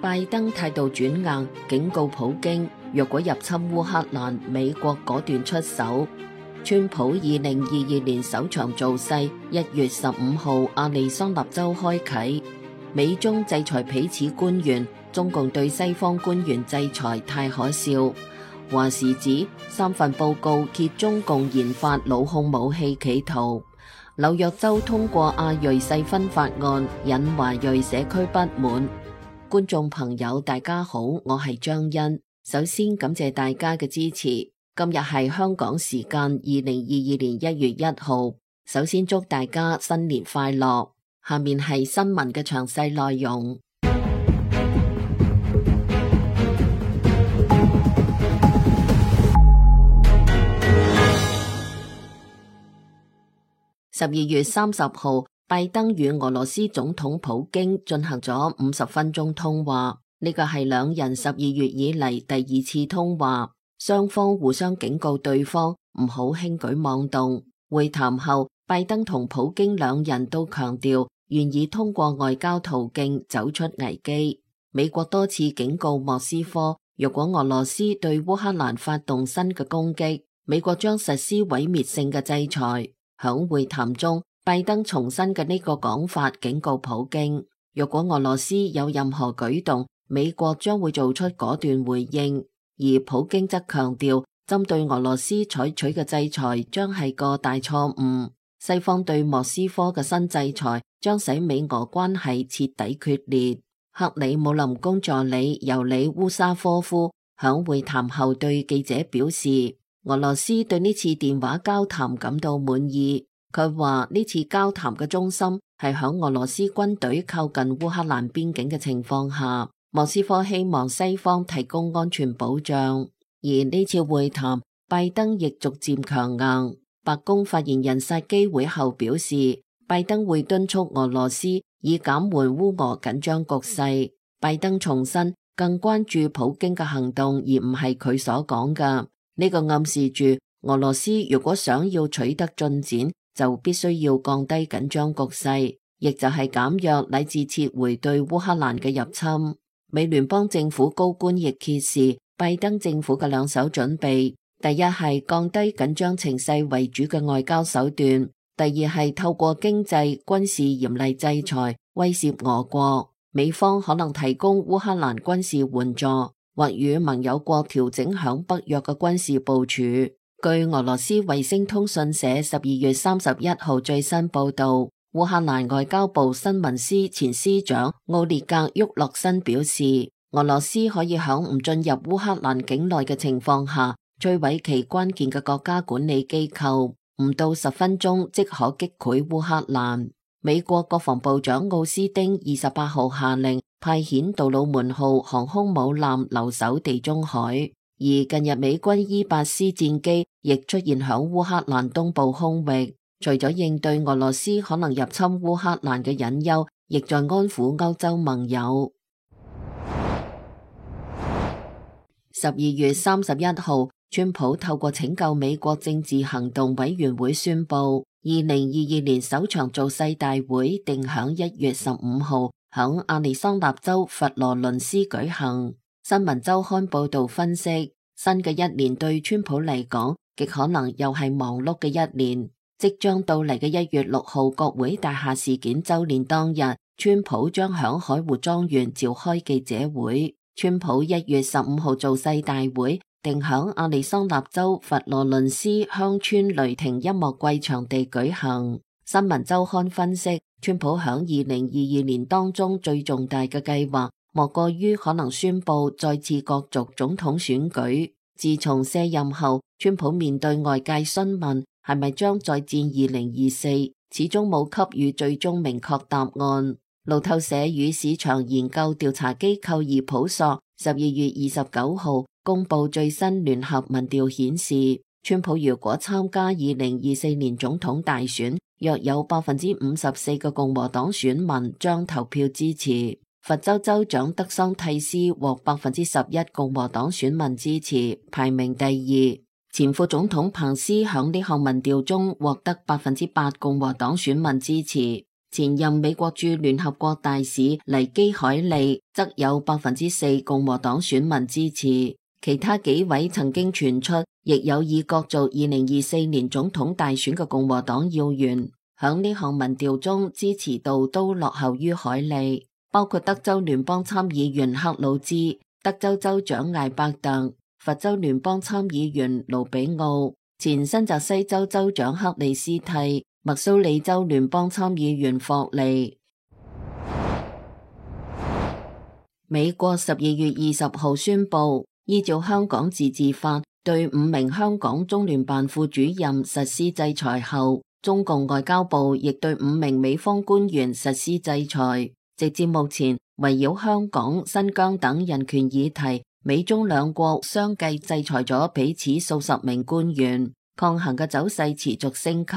拜登態度轉硬，警告普京，若果入侵烏克蘭，美國果斷出手。川普2022年首場造勢1月15號亞利桑那州開啟。美中制裁彼此官員，中共對西方官員制裁太可笑。華時指3份報告揭中共研發腦控武器企圖。紐約州通過亞裔細分法案，引華裔社區不滿。觀眾朋友大家好，我係張欣。首先感謝大家嘅支持。今日係香港時間2022年1月1號。首先祝大家新年快樂。下面係新聞嘅詳細內容。12月30號，拜登與俄羅斯總統普京進行咗50分鐘通話，呢個係兩人12月以嚟第2次通話，雙方互相警告對方唔好輕舉妄動。會談後，拜登同普京兩人都強調願意通過外交途徑走出危機。美國多次警告莫斯科，若果俄羅斯對烏克蘭發動新嘅攻擊，美國將實施毀滅性嘅制裁。響會談中，拜登重申嘅呢個講法，警告普京，若果俄羅斯有任何舉動，美國將會做出果斷回應。而普京則強調，針對俄羅斯採取嘅制裁將係個大錯誤。西方對莫斯科嘅新制裁將使美俄關係徹底決裂。克里姆林宮助理尤里烏沙科夫響會談後對記者表示，俄羅斯對呢次電話交談感到滿意。佢話呢次交談嘅中心係響俄羅斯軍隊靠近烏克蘭邊境嘅情況下，莫斯科希望西方提供安全保障。而呢次會談，拜登亦逐漸強硬。白宮發言人薩基會後表示，拜登會敦促俄羅斯以減緩烏俄緊張局勢。拜登重申更關注普京嘅行動，而唔係佢所講嘅。呢個暗示住俄羅斯如果想要取得進展，就必須要降低緊張局勢，亦就係減弱乃至撤回對烏克蘭嘅入侵。美聯邦政府高官亦揭示拜登政府嘅兩手準備，第一係降低緊張情勢為主嘅外交手段，第二係透過經濟、軍事嚴厲制裁威懾俄國。美方可能提供烏克蘭軍事援助，或與盟友國調整響北約嘅軍事部署。據俄羅斯衛星通訊社12月31號最新報道，烏克蘭外交部新聞司前司長奧列格沃洛申表示，俄羅斯可以響唔進入烏克蘭境內嘅情況下，摧毀其關鍵嘅國家管理機構，唔到10分鐘即可擊潰烏克蘭。美國國防部長奧斯汀28號下令派遣杜魯門號航空母艦留守地中海，而近日美軍E-8C戰機亦出現響烏克蘭東部空域，除咗應對俄羅斯可能入侵烏克蘭嘅隱憂，亦在安撫歐洲盟友。12月31號，川普透過拯救美國政治行動委員會宣布，2022年首場造勢大會定響1月15號響亞利桑那州佛羅倫斯舉行。新聞週刊報道分析，新嘅一年對川普嚟講，極可能又係忙碌嘅一年。即將到嚟嘅1月6號國會大廈事件週年當日，川普將響海湖莊園召開記者會。川普1月15號造勢大會定響亞利桑那州佛羅倫斯鄉村雷霆音樂季場地舉行。新聞週刊分析，川普響2022年當中最重大嘅計劃，莫過於可能宣布再次角逐總統選舉。自從卸任後，川普面對外界詢問係咪將再戰2024，始終冇給予最終明確答案。路透社與市場研究調查機構易普索12月29號公布最新聯合民調顯示，川普如果參加2024年總統大選，約有54%嘅共和黨選民將投票支持。佛州州長德桑蒂斯獲11%共和黨選民支持，排名第二。前副總統彭斯響呢項民調中獲得8%共和黨選民支持。前任美國駐聯合國大使尼基海利則有4%共和黨選民支持，其他幾位曾經傳出亦有意角逐2024年總統大選嘅共和黨要員，響呢項民調中支持度都落後於海利，包括德州聯邦參議員克魯茲、德州州長艾伯特、佛州聯邦參議員盧比奧、前新澤西州州長克里斯蒂、密蘇里州聯邦參議員霍利。美國12月20號宣布，依照香港自治法，對5名香港中聯辦副主任實施制裁後，中共外交部亦對5名美方官員實施制裁。直至目前，圍繞香港、新疆等人權議題，美中兩國相繼制裁咗彼此數十名官員，抗衡嘅走勢持續升級。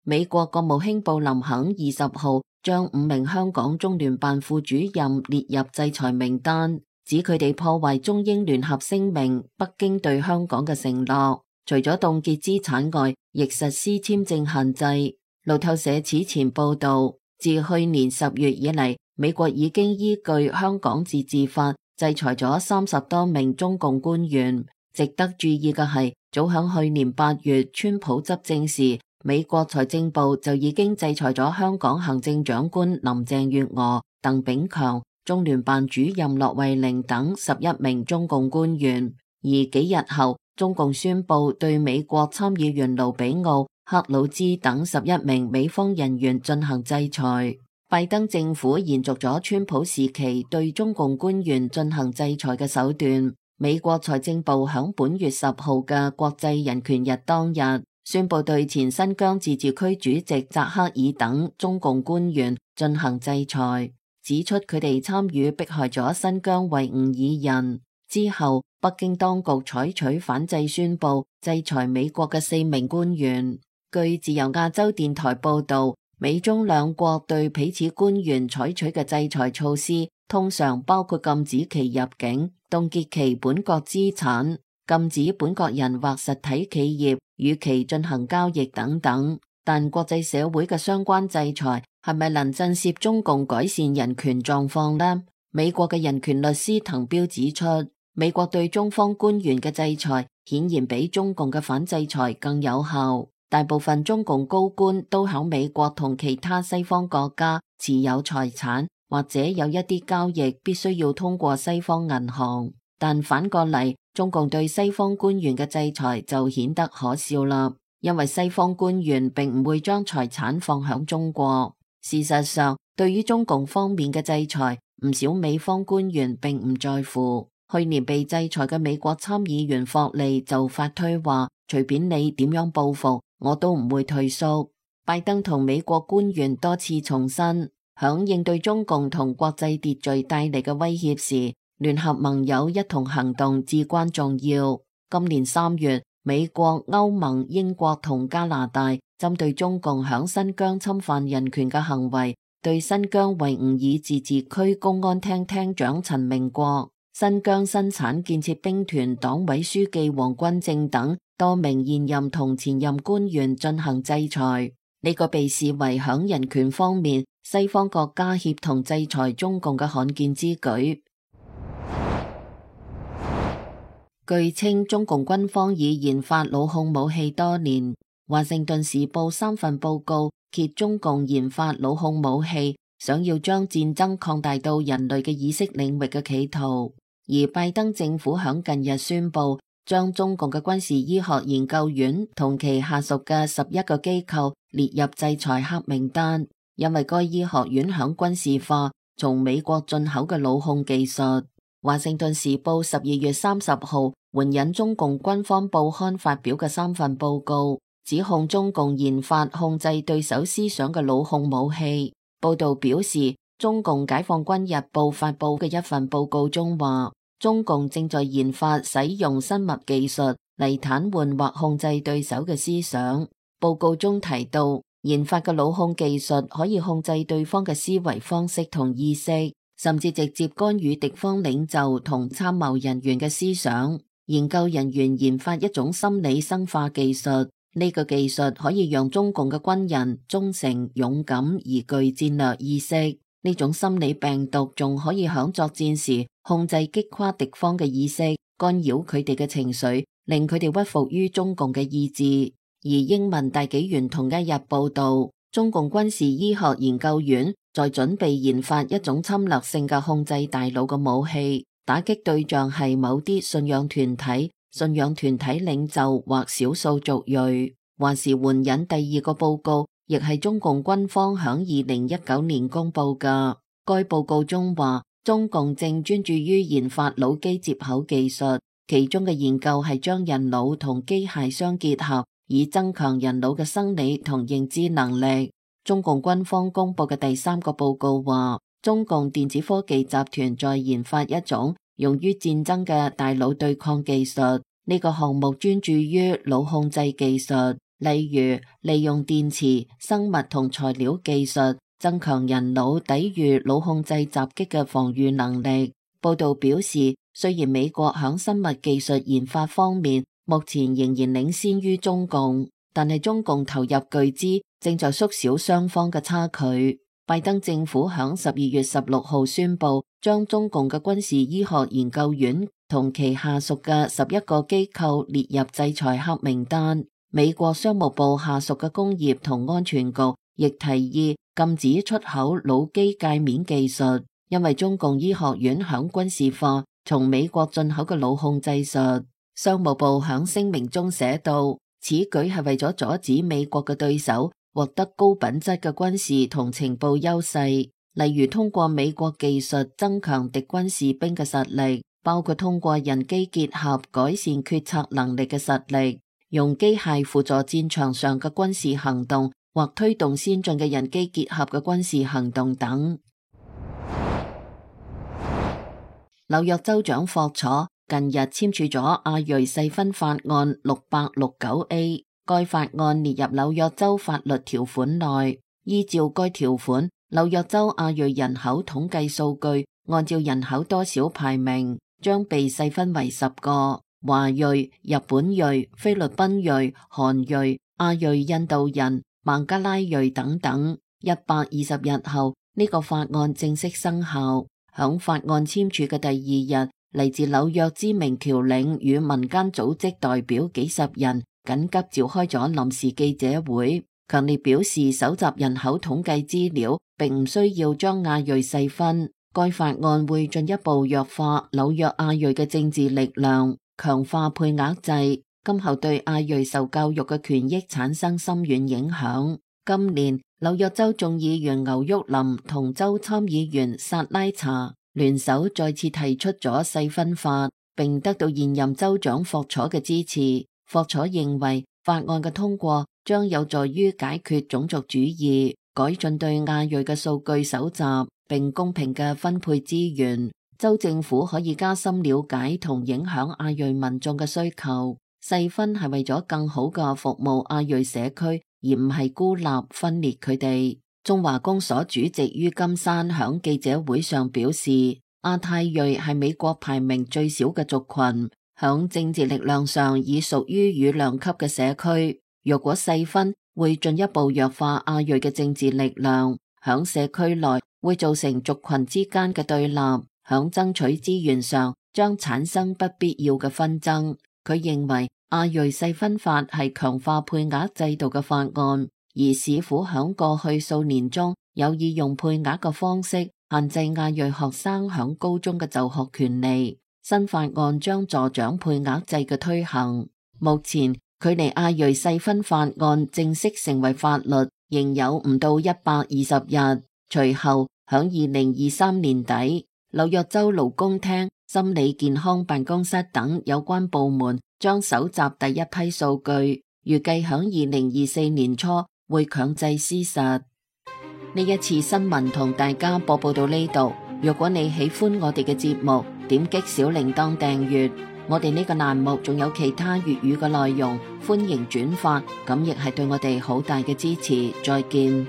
美國國務卿布林肯20號將5名香港中聯辦副主任列入制裁名單，指佢哋破壞中英聯合聲明、北京對香港嘅承諾，除咗凍結資產外，亦實施簽證限制。路透社此前報道，自去年10月以嚟，美國已經依據香港自治法制裁咗30多名中共官員。值得注意嘅係，早響去年8月川普執政時，美國財政部就已經制裁咗香港行政長官林鄭月娥、鄧炳強、中聯辦主任駱惠寧等11名中共官員。而幾日後，中共宣布對美國參議員盧比奧、克魯茲等11名美方人員進行制裁。拜登政府延續咗川普時期對中共官員進行制裁嘅手段。美國財政部響本月10號嘅國際人權日當日，宣布對前新疆自治區主席扎克爾等中共官員進行制裁，指出佢哋參與迫害咗新疆維吾爾人。之後，北京當局採取反制宣布，制裁美國嘅4名官員。據自由亞洲電台報道，美中兩國對彼此官員採取嘅制裁措施，通常包括禁止其入境、凍結其本國資產、禁止本國人或實體企業與其進行交易等等。但國際社會嘅相關制裁係咪能震懾中共改善人權狀況呢？美國嘅人權律師滕彪指出，美國對中方官員嘅制裁顯然比中共嘅反制裁更有效。大部分中共高官都喺美國同其他西方國家持有財產，或者有一啲交易必須要通過西方銀行。但反過嚟，中共對西方官員嘅制裁就顯得可笑啦，因為西方官員並唔會將財產放響中國。事實上，對於中共方面嘅制裁，唔少美方官員並唔在乎。去年被制裁嘅美國參議員霍利就發推話，隨便你點樣報復，我都唔會退縮。拜登同美國官員多次重申，響應對中共同國際秩序帶嚟嘅威脅時，聯合盟友一同行動至關重要。今年3月，美國、歐盟、英國同加拿大針對中共響新疆侵犯人權嘅行為，對新疆維吾爾自治區公安廳廳長陳明國、新疆生產建設兵團黨委書記王軍正等多名現任同前任官員進行制裁。呢個被視為響人權方面西方國家協同制裁中共嘅罕見之舉。據稱，中共軍方已研發老控武器多年。華盛頓時報3份報告揭中共研發老控武器，想要將戰爭擴大到人類嘅意識領域嘅企圖。而拜登政府響近日宣布，將中共嘅軍事醫學研究院同其下屬嘅11個機構列入制裁黑名單，因為該醫學院響軍事化從美國進口嘅老控技術。華盛頓時報12月30號援引中共軍方報刊發表嘅3份報告，指控中共研發控制對手思想嘅老控武器。報道表示，中共解放軍日報發布嘅一份報告中話，中共正在研發使用生物技術嚟癱瘓或控制對手嘅思想。報告中提到，研發嘅老控技術可以控制對方嘅思維方式同意識，甚至直接干預敵方領袖同參謀人員嘅思想。研究人員研發一種心理生化技術，呢個技術可以讓中共嘅軍人忠誠、勇敢而具戰略意識。呢種心理病毒仲可以響作戰時控制擊垮敵方嘅意識，干擾佢哋嘅情緒，令佢哋屈服於中共嘅意志。而英文大紀元同一日報道，中共軍事醫學研究院在準備研發一種侵略性嘅控制大腦嘅武器，打擊對象係某啲信仰團體領袖或少數族裔。還是援引第二個報告，亦係中共軍方響2019年公布嘅。該報告中話，中共正專注於研發腦機接口技術，其中嘅研究係將人腦同機械相結合，以增強人腦嘅生理同認知能力。中共軍方公布嘅第三個報告話，中共電子科技集團在研發一種用於戰爭嘅大腦對抗技術。呢個項目專注於腦控制技術，例如利用電磁、生物同材料技術增強人腦抵禦腦控制襲擊嘅防禦能力。報道表示，雖然美國響生物技術研發方面目前仍然領先於中共，但係中共投入巨資，正在縮小雙方嘅差距。拜登政府響12月16號宣布，將中共嘅軍事醫學研究院同其下屬嘅11個機構列入制裁黑名單。美國商務部下屬嘅工業同安全局亦提議禁止出口腦機界面技術，因為中共醫學院響軍事化從美國進口嘅腦控制術。商務部響聲明中寫道，此舉係為咗阻止美國嘅對手獲得高品質嘅軍事同情報優勢，例如通過美國技術增強敵軍士兵嘅實力，包括通過人機結合改善決策能力嘅實力，用機械輔助戰場上嘅軍事行動，或推動先進嘅人機結合嘅軍事行動等。紐約州長霍楚近日簽署咗亞裔細分法案 669A， 該法案列入紐約州法律條款內。依照該條款，紐約州亞裔人口統計數據按照人口多少排名，將被細分為10個：華裔、日本裔、菲律賓裔、韓裔、亞裔印度人、孟加拉裔等等。120日後，呢個法案正式生效。響法案簽署嘅第二日，嚟自紐約知名僑領與民間組織代表幾十人緊急召開咗臨時記者會，強烈表示搜集人口統計資料並唔需要將亞裔細分。該法案會進一步弱化紐約亞裔嘅政治力量，強化配額制，今後對亞裔受教育嘅權益產生深遠影響。今年紐約州眾議員牛沃林同州參議員薩拉查聯手再次提出咗細分法，並得到現任州長霍楚嘅支持。霍楚認為法案嘅通過將有助於解決種族主義，改進對亞裔嘅數據搜集，並公平嘅分配資源。州政府可以加深了解同影響亞裔民眾嘅需求。細分係為咗更好嘅服務亞裔社區，而唔係孤立分裂佢哋。中華公所主席于金山響記者會上表示，亞太裔係美國排名最少嘅族群，響政治力量上已屬於羽量級嘅社區。若果細分，會進一步弱化亞裔嘅政治力量，響社區內會造成族群之間嘅對立，響爭取資源上將產生不必要嘅紛爭。佢認為亞裔細分法係強化配額制度嘅法案，而市府響過去數年中有意用配額嘅方式限制亞裔學生響高中嘅就學權利。新法案將助長配額制嘅推行。目前距離亞裔細分法案正式成為法律仍有唔到120日。隨後響2023年底，紐約州勞工廳、心理健康辦公室等有關部門將搜集第一批數據，預計響2024年初會強制施實。呢一次新聞同大家播報到呢度。若果你喜歡我哋嘅節目，點擊小鈴鐺訂閱。我哋呢個欄目仲有其他粵語嘅內容，歡迎轉發，咁亦係對我哋好大嘅支持。再見。